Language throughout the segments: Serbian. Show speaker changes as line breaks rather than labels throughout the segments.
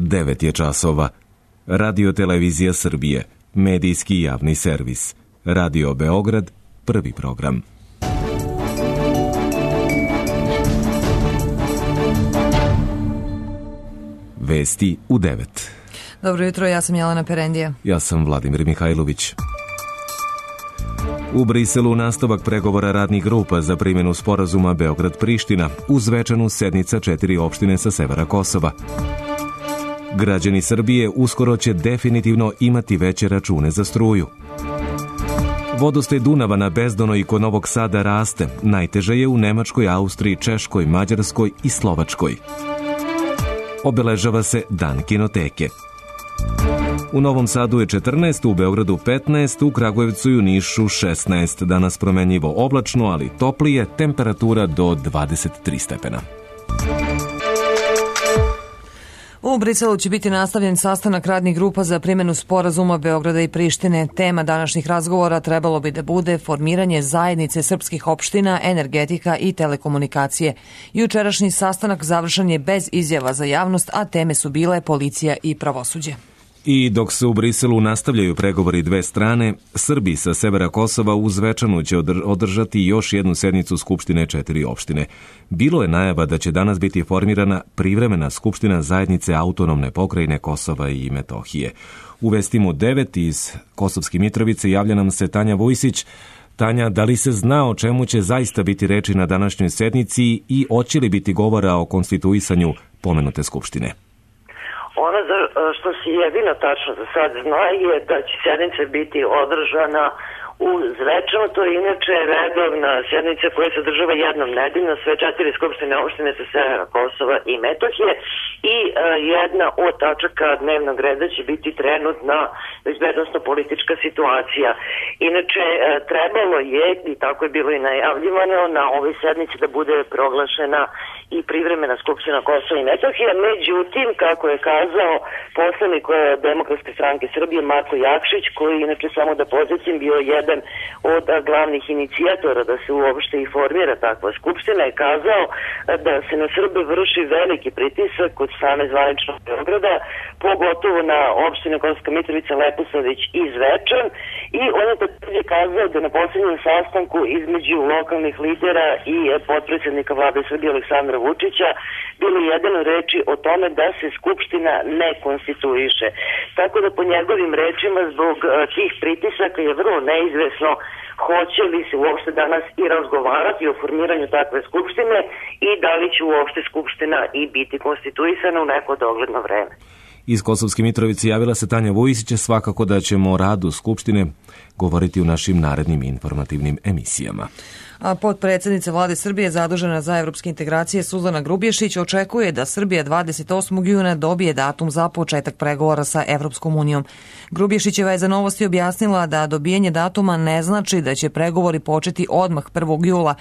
9 je časova. Radio Televizija Srbije, medijski javni servis. Radio Beograd, prvi program. Vesti u 9.
Dobro jutro, ja sam Jelena Perendija.
Ja sam Vladimir Mihajlović. U Briselu nastavak pregovora radnih grupa za primjenu sporazuma Beograd-Priština uz svečanu sednica 4 opštine sa severa Kosova. Građani Srbije uskoro će definitivno imati veće račune za struju. Vodostaj Dunava na Bezdonoj kod Novog Sada raste. Najteže je u Nemačkoj, Austriji, Češkoj, Mađarskoj i Slovačkoj. Obeležava se Dan kinoteke. U Novom Sadu je 14, u Beogradu 15, u Kragujevcu i u Nišu 16. Danas promenljivo oblačno, ali toplije, temperatura do 23 stepena.
U Briselu će biti nastavljen sastanak radnih grupa za primjenu sporazuma Beograda i Prištine. Tema današnjih razgovora trebalo bi da bude formiranje zajednice srpskih opština, energetika i telekomunikacije. Jučerašnji sastanak završen je bez izjava za javnost, a teme su bile policija i pravosuđe.
I dok se u Briselu nastavljaju pregovori dve strane, Srbi sa severa Kosova uz svečanu će održati još jednu sednicu Skupštine 4 opštine. Bilo je najava da će danas biti formirana privremena Skupština zajednice autonomne pokrajine Kosova i Metohije. U vestima 9 iz Kosovske Mitrovice javlja nam se Tanja Vujsić. Tanja, da li se zna o čemu će zaista biti reči na današnjoj sednici i hoće li biti govora o konstituisanju pomenute Skupštine?
Ono što se jedino tačno za sad zna je da će sednica biti održana u Zvečanu, to je inače redovna sednica koja se održava jednom nedeljno, sve 4 skupštine opštine sa severa Kosova i Metohije i jedna od tačaka dnevnog reda će biti trenutna bezbednosno-politička situacija. Inače, trebalo je, i tako je bilo i najavljivano, na ovoj sednici da bude proglašena i privremena skupština Kosova i Metohije, međutim, kako je kazao poslanik Demokratske stranke Srbije Marko Jakšić, koji inače samo da podsjetim bio jedan od glavnih inicijatora da se uopšte i formira takva skupština, je kazao da se na Srbe vrši veliki pritisak od strane zvaničnog Beograda, pogotovo na opštine Kosovska Mitrovica, Leposavić i Zvečan, i on je takođe kazao da na posljednjem sastanku između lokalnih lidera i potpredsjednika vlade Srbije Aleksandra Vučića bilo jedno reči o tome da se skupština ne konstituiše. Tako da po njegovim rečima zbog tih pritisaka je vrlo neizvesno hoće li se uopšte danas i razgovarati o formiranju takve skupštine i da li će uopšte skupština i biti konstituisana u neko dogledno vreme.
Iz Kosovske Mitrovice javila se Tanja Vujsić, svakako da ćemo o radu Skupštine govoriti u našim narednim informativnim emisijama.
A potpredsjednica vlade Srbije zadužena za evropske integracije Suzana Grubješić očekuje da Srbija 28. juna dobije datum za početak pregovora sa Evropskom unijom. Grubješićeva je za Novosti objasnila da dobijanje datuma ne znači da će pregovori početi odmah 1. jula,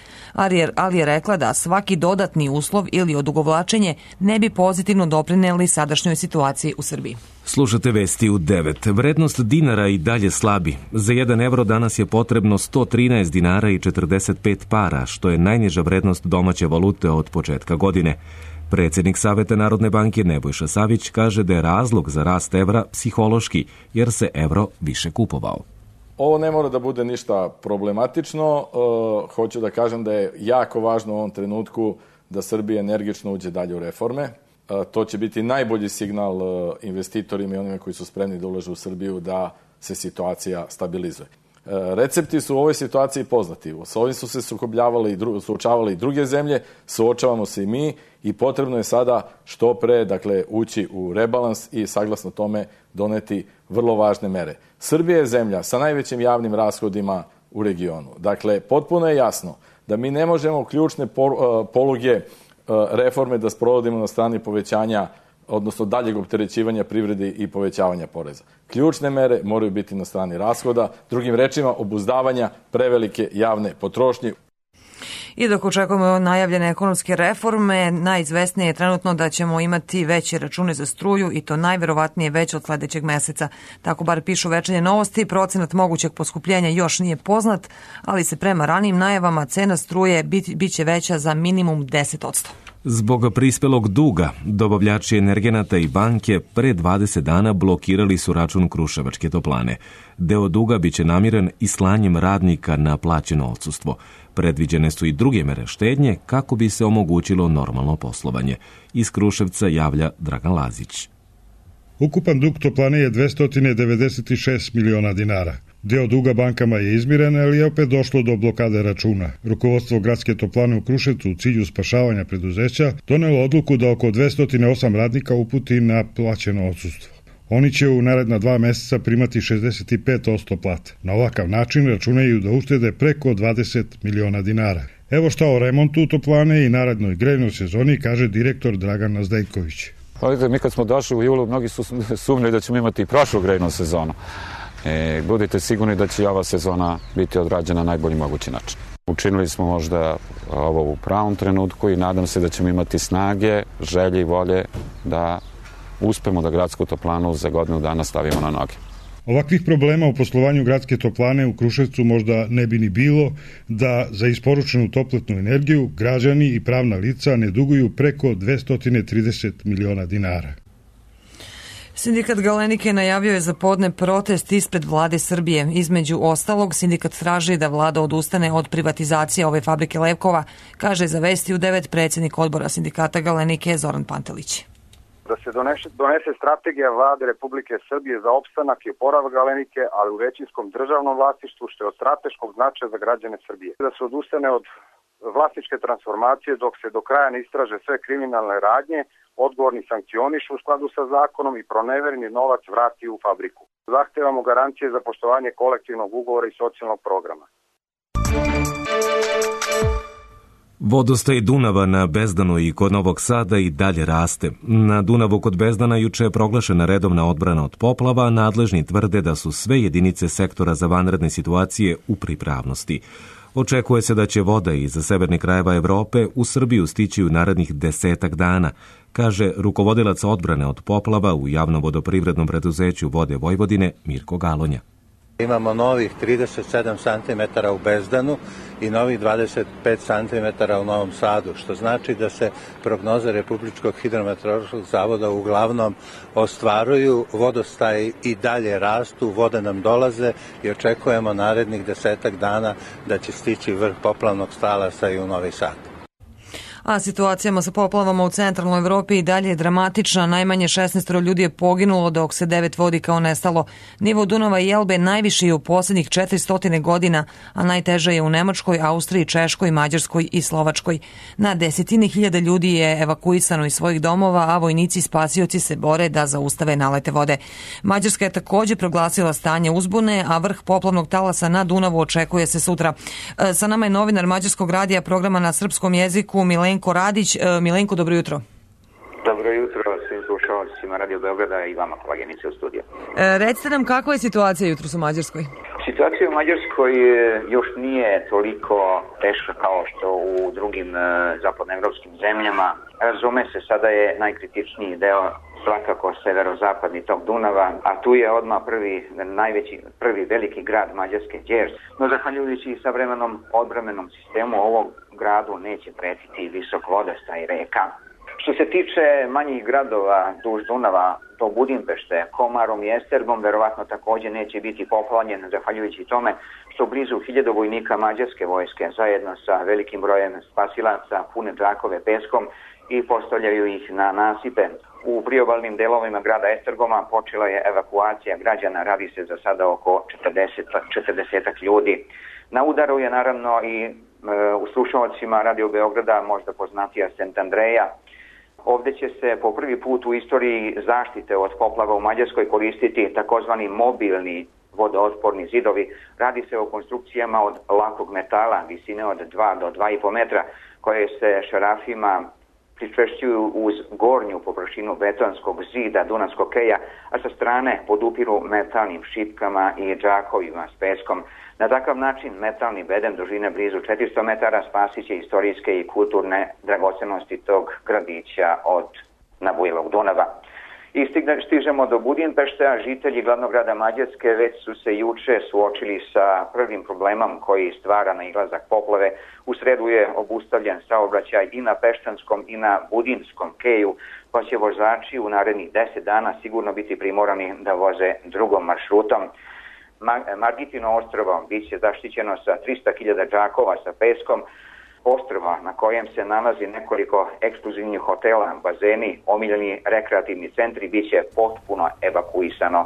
ali je rekla da svaki dodatni uslov ili odugovlačenje ne bi pozitivno doprineli sadašnjoj situaciji u Srbiji.
Slušate vesti u 9. Vrednost dinara i dalje slabi. Za 1 evro danas je potrebno 113 dinara i 45 para, što je najniža vrednost domaće valute od početka godine. Predsjednik Saveta Narodne banke Nebojša Savić kaže da je razlog za rast evra psihološki, jer se evro više kupovao.
Ovo ne mora da bude ništa problematično. Hoću da kažem da je jako važno u ovom trenutku da Srbija energično uđe dalje u reforme. To će biti najbolji signal investitorima i onima koji su spremni da ulažu u Srbiju da se situacija stabilizuje. Recepti su u ovoj situaciji poznati. S ovim su se suočavali i druge zemlje, suočavamo se i mi i potrebno je sada što pre, ući u rebalans i saglasno tome doneti vrlo važne mere. Srbija je zemlja sa najvećim javnim rashodima u regionu. Dakle, potpuno je jasno da mi ne možemo ključne poluge reforme da sprovodimo na strani povećanja, odnosno daljeg opterećivanja privrede i povećavanja poreza. Ključne mere moraju biti na strani rashoda, drugim rečima obuzdavanja prevelike javne potrošnje.
I dok očekujemo najavljene ekonomske reforme, najizvesnije je trenutno da ćemo imati veće račune za struju i to najverovatnije već od sledećeg meseca. Tako bar pišu Večernje novosti, procenat mogućeg poskupljenja još nije poznat, ali se prema ranijim najavama cena struje biće veća za minimum 10%.
Zbog prispelog duga, dobavljači energenata i banke pre 20 dana blokirali su račun Kruševačke toplane. Deo duga biće namiren i slanjem radnika na plaćeno odsustvo. Predviđene su i druge mere štednje kako bi se omogućilo normalno poslovanje. Iz Kruševca javlja Dragan Lazić.
Ukupan dug toplane je 296 miliona dinara. Deo duga bankama je izmiren, ali je opet došlo do blokade računa. Rukovodstvo gradske toplane u Kruševcu u cilju spašavanja preduzeća donelo odluku da oko 208 radnika uputi na plaćeno odsustvo. Oni će u naredna 2 meseca primati 65% plate. Na ovakav način računaju da uštede preko 20 miliona dinara. Evo šta o remontu toplane i narednoj grejnoj sezoni kaže direktor Dragan Nazdejković.
Mi kad smo došli u julu, mnogi su sumnjali da ćemo imati i prošlu grejnu sezonu. Budite sigurni da će ova sezona biti odrađena na najbolji mogući način. Učinili smo možda ovo u pravom trenutku i nadam se da ćemo imati snage, želje i volje da uspemo da gradsku toplanu za godinu dana stavimo na noge.
Ovakvih problema u poslovanju gradske toplane u Kruševcu možda ne bi ni bilo da za isporučenu toplotnu energiju građani i pravna lica ne duguju preko 230 miliona dinara.
Sindikat Galenike najavio je za podne protest ispred vlade Srbije. Između ostalog, sindikat traži da vlada odustane od privatizacije ove fabrike levkova, kaže za Vesti u 9 predsjednik odbora sindikata Galenike Zoran Pantelić.
Da se donese strategija vlade Republike Srbije za opstanak i oporavak Galenike, ali u većinskom državnom vlasništvu, što je od strateškog značaja za građane Srbije. Da se odustane od vlasničke transformacije dok se do kraja ne istraže sve kriminalne radnje, odgovorni sankcionišu u skladu sa zakonom i pronevereni novac vrati u fabriku. Zahtevamo garancije za poštovanje kolektivnog ugovora i socijalnog programa.
Vodostaj Dunava na Bezdanu i kod Novog Sada i dalje raste. Na Dunavu kod Bezdana juče je proglašena redovna odbrana od poplava, nadležni tvrde da su sve jedinice sektora za vanredne situacije u pripravnosti. Očekuje se da će voda iz severnih krajeva Evrope u Srbiju stići u narednih 10 dana, kaže rukovodilac odbrane od poplava u javnom vodoprivrednom preduzeću Vode Vojvodine Mirko Galonja.
Imamo novih 37 cm u Bezdanu i novih 25 cm u Novom Sadu, što znači da se prognoze Republičkog hidrometeorološkog zavoda uglavnom ostvaruju, vodostaji i dalje rastu, vode nam dolaze i očekujemo narednih 10 dana da će stići vrh poplavnog talasa i u Novi Sad.
A situacijama sa poplavama u centralnoj Evropi i dalje je dramatična. Najmanje 16 ljudi je poginulo, dok se 9 vodi kao nestalo. Nivo Dunava i Elbe najviši je u posljednjih 400 godina, a najteže je u Nemačkoj, Austriji, Češkoj, Mađarskoj i Slovačkoj. Na desetine hiljada ljudi je evakuisano iz svojih domova, a vojnici i spasioci se bore da zaustave nalete vode. Mađarska je također proglasila stanje uzbune, a vrh poplavnog talasa na Dunavu očekuje se sutra. Sa nama je novinar Mađarskog radija programa na srpskom jeziku Milenko Radić. Milenko, dobro jutro.
Dobro jutro svim slušalcima Radio Beograda i vama, koleginice u studiju.
Recite nam, kakva je situacija jutros u Mađarskoj?
Situacija u Mađarskoj još nije toliko teška kao što u drugim zapadnoevropskim zemljama. Razume se, sada je najkritičniji deo svakako severozapadni tok Dunava, a tu je odmah prvi veliki grad Mađarske, Đers. No, zahvaljujući savremenom odbrambenom sistemu, ovog gradu neće pretiti visok vodostaj reka. Što se tiče manjih gradova duž Dunava, do Budimpešte, Komarom i Estergom, verovatno također neće biti poplavljen, zahvaljujući tome što blizu 1000 vojnika mađarske vojske zajedno sa velikim brojem spasilaca pune džakove peskom i postavljaju ih na nasipe. U priobalnim delovima grada Estergoma počela je evakuacija građana, radi se za sada oko 40 ljudi. Na udaru je naravno i u slušalcima Radio Beograda možda poznatija St. Andreja. Ovdje će se po prvi put u istoriji zaštite od poplava u Mađarskoj koristiti takozvani mobilni vodootporni zidovi. Radi se o konstrukcijama od lakog metala visine od 2 do 2,5 metra koje se šarafima pričvršćuju uz gornju površinu betonskog zida Dunavskog keja, a sa strane podupiru metalnim šipkama i džakovima s peskom. Na takav način metalni bedem dužine blizu 400 metara spasit će istorijske i kulturne dragocenosti tog gradića od nabujelog Dunava. I stižemo do Budimpešte, a žitelji glavnog grada Mađarske već su se juče suočili sa prvim problemom koji stvara nailazak poplave. U sredu je obustavljen saobraćaj i na Peštanskom i na Budinskom keju, pa će vozači u narednih 10 dana sigurno biti primorani da voze drugom maršrutom. Margitino ostrvo biće zaštićeno sa 300.000 džakova sa peskom. Ostrvo na kojem se nalazi nekoliko ekskluzivnih hotela, bazeni, omiljeni rekreativni centri biće potpuno evakuisano.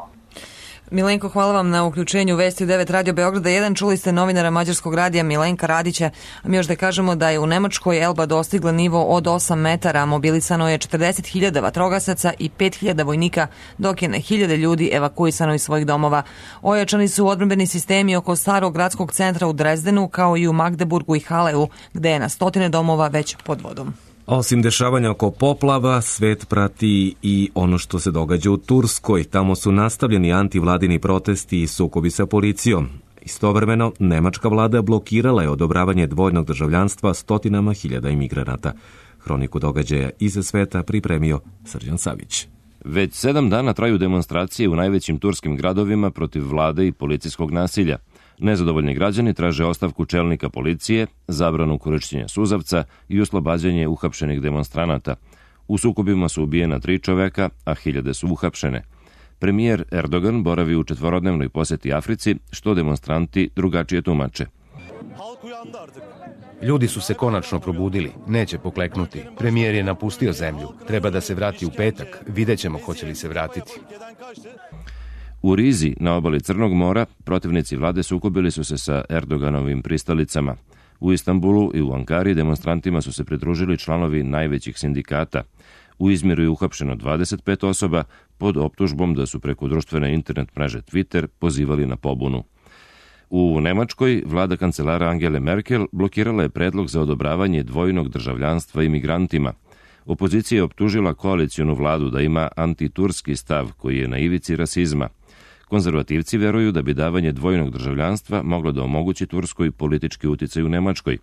Milenko, hvala vam na uključenju Vesti u 9 Radio Beograda 1. Čuli ste novinara Mađarskog radija Milenka Radića. A mi još da kažemo da je u Nemačkoj Elba dostigla nivo od 8 metara. Mobilisano je 40.000 vatrogasaca i 5.000 vojnika, dok je na 1.000 ljudi evakuisano iz svojih domova. Ojačani su odbrambeni sistemi oko starog gradskog centra u Drezdenu, kao i u Magdeburgu i Haleu, gde je na stotine domova već pod vodom.
Osim dešavanja oko poplava, svet prati i ono što se događa u Turskoj. Tamo su nastavljeni antivladini protesti i sukobi sa policijom. Istovremeno, nemačka vlada blokirala je odobravanje dvojnog državljanstva stotinama hiljada imigranata. Hroniku događaja iza sveta pripremio Srđan Savić.
Već 7 dana traju demonstracije u najvećim turskim gradovima protiv vlade i policijskog nasilja. Nezadovoljni građani traže ostavku čelnika policije, zabranu korišćenja suzavca i oslobađanje uhapšenih demonstranata. U sukobima su ubijena 3 čoveka, a hiljade su uhapšene. Premijer Erdogan boravi u 4-dnevnoj poseti Africi, što demonstranti drugačije tumače.
Ljudi su se konačno probudili, neće pokleknuti. Premijer je napustio zemlju, treba da se vrati u petak, vidjet ćemo hoće li se vratiti.
U Rizi, na obali Crnog mora, protivnici vlade sukobili su se sa Erdoganovim pristalicama. U Istanbulu i u Ankari demonstrantima su se pridružili članovi najvećih sindikata. U Izmiru je uhapšeno 25 osoba pod optužbom da su preko društvene internet mreže Twitter pozivali na pobunu. U Nemačkoj vlada kancelara Angele Merkel blokirala je predlog za odobravanje dvojnog državljanstva imigrantima. Opozicija je optužila koalicionu vladu da ima antiturski stav koji je na ivici rasizma. Konzervativci veruju da bi davanje dvojnog državljanstva moglo da omogući Turskoj politički uticaj u Nemačkoj.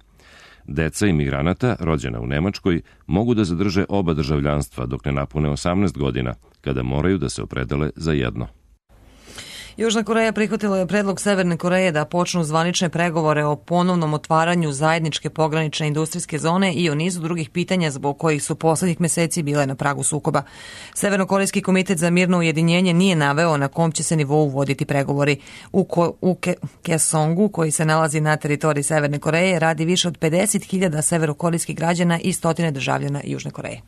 Deca imigranata, rođena u Nemačkoj, mogu da zadrže oba državljanstva dok ne napune 18 godina, kada moraju da se opredele za jedno.
Južna Koreja prihvatila je predlog Severne Koreje da počnu zvanične pregovore o ponovnom otvaranju zajedničke pogranične industrijske zone i o nizu drugih pitanja zbog kojih su poslednjih meseci bile na pragu sukoba. Severnokorejski komitet za mirno ujedinjenje nije naveo na kom će se nivou voditi pregovori. U Kaesongu, koji se nalazi na teritoriji Severne Koreje, radi više od 50.000 severokorejskih građana i stotine državljana Južne Koreje.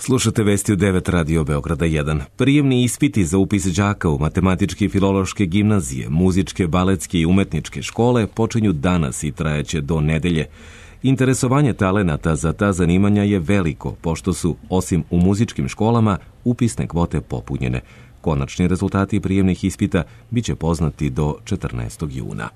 Slušate Vesti u 9 Radio Beograda 1. Prijemni ispiti za upis đaka u matematičke i filološke gimnazije, muzičke, baletske i umetničke škole počinju danas i trajaće do nedelje. Interesovanje talenata za ta zanimanja je veliko, pošto su, osim u muzičkim školama, upisne kvote popunjene. Konačni rezultati prijemnih ispita biće poznati do 14. juna.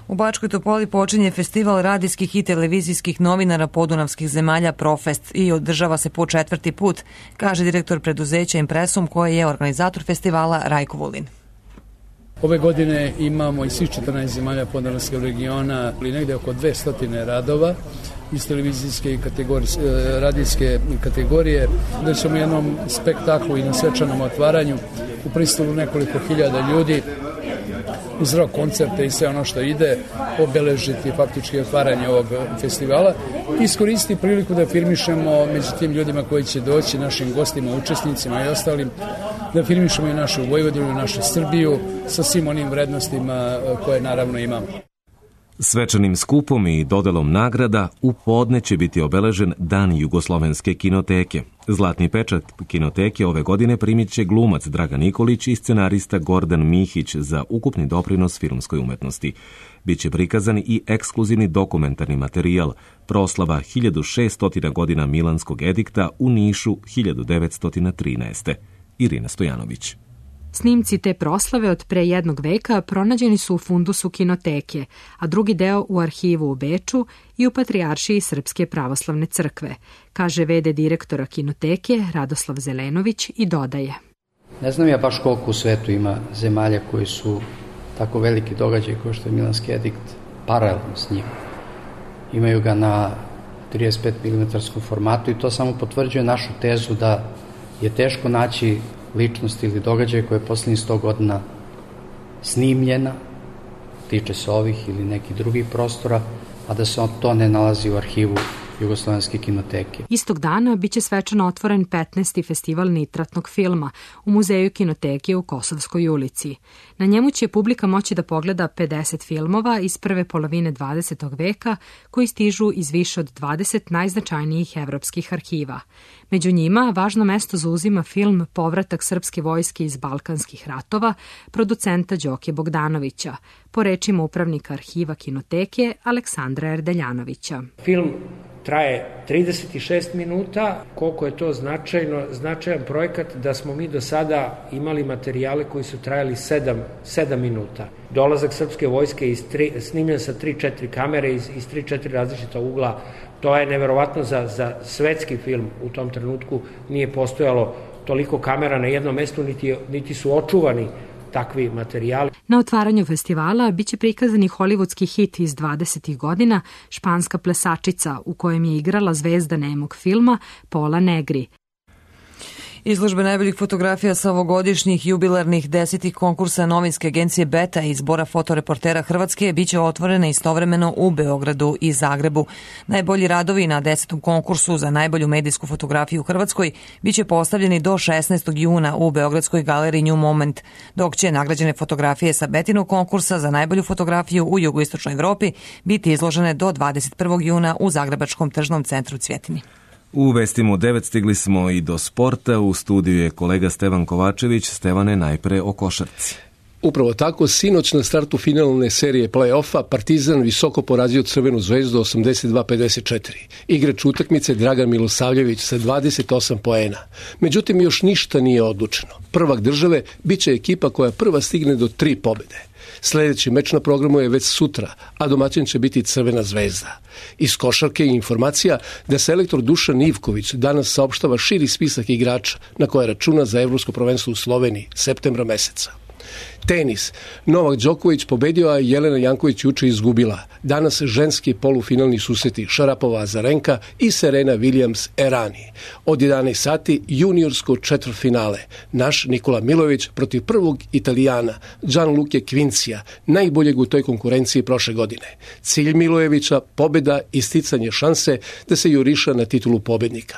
U Bačkoj Topoli počinje festival radijskih i televizijskih novinara podunavskih zemalja Profest i održava se po 4. put, kaže direktor preduzeća Impresum, koji je organizator festivala Rajko Vulin.
Ove godine imamo iz svih 14 zemalja podunavskog regiona ili negde oko 200 radova iz televizijske i radijske kategorije, da ćemo jednom spektaklu i na svečanom otvaranju u prisustvu nekoliko hiljada ljudi uz rock koncerte i sve ono što ide obeležiti faktički otvaranje ovog festivala. Iskoristiti priliku da firmišemo među tim ljudima koji će doći, našim gostima, učesnicima i ostalim, da firmišemo i našu Vojvodinu, i našu Srbiju sa svim onim vrednostima koje naravno imamo.
Svečanim skupom i dodelom nagrada u podne će biti obeležen Dan Jugoslovenske kinoteke. Zlatni pečat kinoteke ove godine primit će glumac Dragan Nikolić i scenarista Gordan Mihić za ukupni doprinos filmskoj umetnosti. Biće prikazan i ekskluzivni dokumentarni materijal proslava 1600 godina Milanskog edikta u Nišu 1913. Irina Stojanović.
Snimci te proslave od pre 1 veka pronađeni su u fundusu kinoteke, a drugi deo u arhivu u Beču i u Patrijaršiji Srpske pravoslavne crkve, kaže v.d. direktora kinoteke Radoslav Zelenović i dodaje.
Ne znam ja baš koliko u svetu ima zemalja koji su tako veliki događaj kao što je Milanski edikt paralelno s njim. Imaju ga na 35 mm formatu i to samo potvrđuje našu tezu da je teško naći ličnost ili događaj koja je poslednjih 100 godina snimljena, tiče se ovih ili nekih drugih prostora, a da se to ne nalazi u arhivu Jugoslovenske kinoteke.
Istog dana biće svečano otvoren 15. festival nitratnog filma u Muzeju kinoteke u Kosovskoj ulici. Na njemu će publika moći da pogleda 50 filmova iz prve polovine 20. veka koji stižu iz više od 20 najznačajnijih evropskih arhiva. Među njima važno mesto zauzima film Povratak srpske vojske iz Balkanskih ratova producenta Đoke Bogdanovića, po rečima upravnika arhiva kinoteke Aleksandra Erdeljanovića.
Film traje 36 minuta. Koliko je to značajan projekat da smo mi do sada imali materijale koji su trajali 7 minuta. Dolazak srpske vojske snimljen sa 3-4 kamere iz 3-4 različita ugla. To je neverovatno za svetski film. U tom trenutku nije postojalo toliko kamera na jednom mestu, niti su očuvani takvi materijali.
Na otvaranju festivala biće prikazani hollywoodski hit iz 20. godina Španska plesačica, u kojem je igrala zvezda nemog filma Pola Negri.
Izložbe najboljih fotografija sa ovogodišnjih jubilarnih 10. konkursa novinske agencije Beta i zbora fotoreportera Hrvatske biće otvorene istovremeno u Beogradu i Zagrebu. Najbolji radovi na 10. konkursu za najbolju medijsku fotografiju u Hrvatskoj biće postavljeni do 16. juna u Beogradskoj galeriji New Moment, dok će nagrađene fotografije sa Betinog konkursa za najbolju fotografiju u jugoistočnoj Evropi biti izložene do 21. juna u Zagrebačkom tržnom centru Cvjetini.
U vestima u 9 stigli smo i do sporta. U studiju je kolega Stevan Kovačević. Stevane, najpre o košarci.
Upravo tako, sinoć na startu finalne serije play-offa Partizan visoko porazio Crvenu zvezdu 82-54. Igrač utakmice Dragan Milosavljević sa 28 poena. Međutim, još ništa nije odlučeno. Prvak države biće ekipa koja prva stigne do 3 pobjede. Sljedeći meč na programu je već sutra, a domaćin će biti Crvena zvezda. Iz košarke je informacija da selektor Dušan Ivković danas saopštava širi spisak igrača na koje računa za evropsko prvenstvo u Sloveniji septembra meseca. Tenis. Novak Đoković pobedio, a Jelena Janković juče izgubila. Danas ženski polufinalni susreti Šarapova Azarenka i Serena Williams Errani. Od 11 sati juniorsko četvrtfinale. Naš Nikola Milojević protiv prvog Italijana Gianluca Quincija, najboljeg u toj konkurenciji prošle godine. Cilj Milojevića pobjeda i sticanje šanse da se juriša na titulu pobjednika.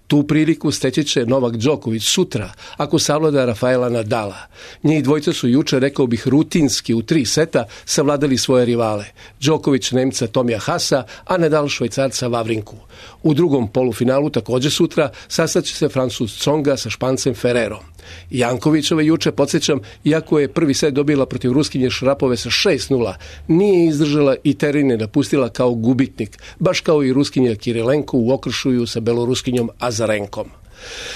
Tu priliku steći će Novak Đoković sutra, ako savlada Rafaela Nadala. Njih dvojca su juče, rekao bih, rutinski u 3 seta savladali svoje rivale. Đoković Nemca Tomija Hasa, a Nadal Švajcarca Vavrinku. U drugom polufinalu, također sutra, sastaće se Francuz Tsonga sa Špancem Ferrerom. Jankovićeva juče, podsjećam, iako je prvi set dobila protiv Ruskinje Šarapove sa 6-0, nije izdržala i teren je napustila kao gubitnik, baš kao i Ruskinja Kirilenko u okršuju sa Beloruskinjom Azarenkom.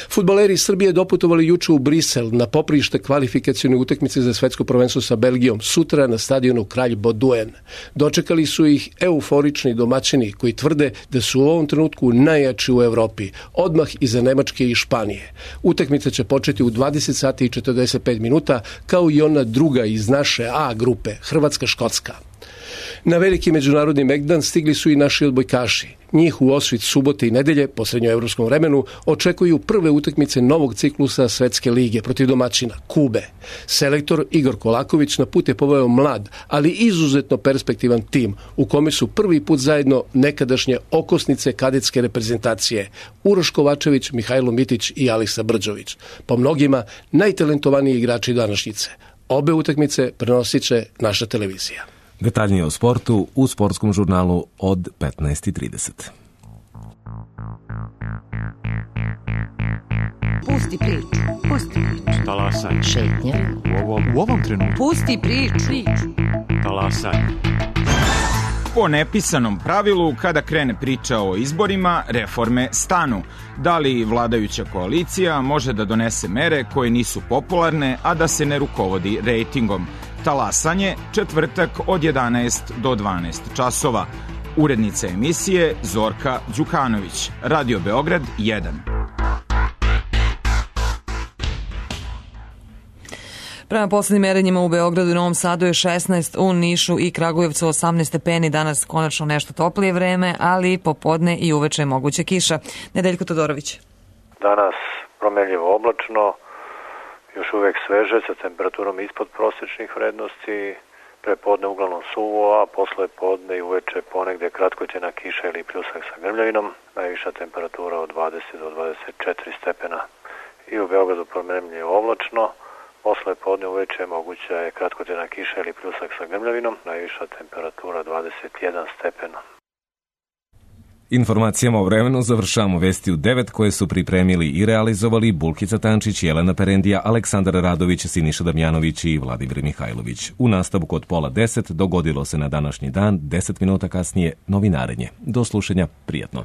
Fudbaleri Srbije doputovali juče u Brisel na poprište kvalifikacione utakmice za svetsko prvenstvo sa Belgijom sutra na stadionu Kralj Baudouin. Dočekali su ih euforični domaćini koji tvrde da su u ovom trenutku najjači u Evropi, odmah iza Nemačke i Španije. Utakmica će početi u 20 sati i 45 minuta, kao i ona druga iz naše A grupe, Hrvatska-Škotska. Na veliki međunarodni megdan stigli su i naši odbojkaši. Njih u osvit subote i nedelje, po srednjoevropskom vremenu, očekuju prve utakmice novog ciklusa Svetske lige protiv domaćina, Kube. Selektor Igor Kolaković na put je poveo mlad, ali izuzetno perspektivan tim, u kome su prvi put zajedno nekadašnje okosnice kadetske reprezentacije, Uroš Kovačević, Mihajlo Mitić i Alisa Brđović. Po mnogima, najtalentovaniji igrači današnjice. Obe utakmice prenosit će naša televizija.
Detaljnije o sportu u sportskom žurnalu od 15:30.
Pusti priču.
Talasaj.
Šetnja.
U ovom trenutku.
Pusti priču.
Talasaj.
Po nepisanom pravilu, kada krene priča o izborima, reforme stanu. Da li vladajuća koalicija može da donese mere koje nisu popularne, a da se ne rukovodi rejtingom? Talasanje, četvrtak od 11 do 12 časova. Urednica emisije Zorka Đukanović. Radio Beograd 1.
Prema poslednjim merenjima u Beogradu i Novom Sadu je 16, u Nišu i Kragujevcu 18 stepeni, danas konačno nešto toplije vreme, ali popodne i uveče je moguća kiša. Nedeljko Todorović.
Danas promenljivo oblačno, još uvek sveže sa temperaturom ispod prosečnih vrednosti, prepodne uglavnom suvo, a posle podne i uveče ponegde kratkoćena kiša ili pljusak sa grmljavinom, najviša temperatura od 20 do 24 stepena. I u Beogradu promenljivo oblačno, posle podne uveče moguća je kratkoćena kiša ili pljusak sa grmljavinom, najviša temperatura 21 stepena.
Informacijama o vremenu završavamo vesti u 9 koje su pripremili i realizovali Bulkica Tančić, Jelena Perendija, Aleksandar Radović, Siniša Damjanović i Vladimir Mihajlović. U nastavku od 9:30 dogodilo se na današnji dan, 10 minuta kasnije novinarenje. Do slušanja, prijatno.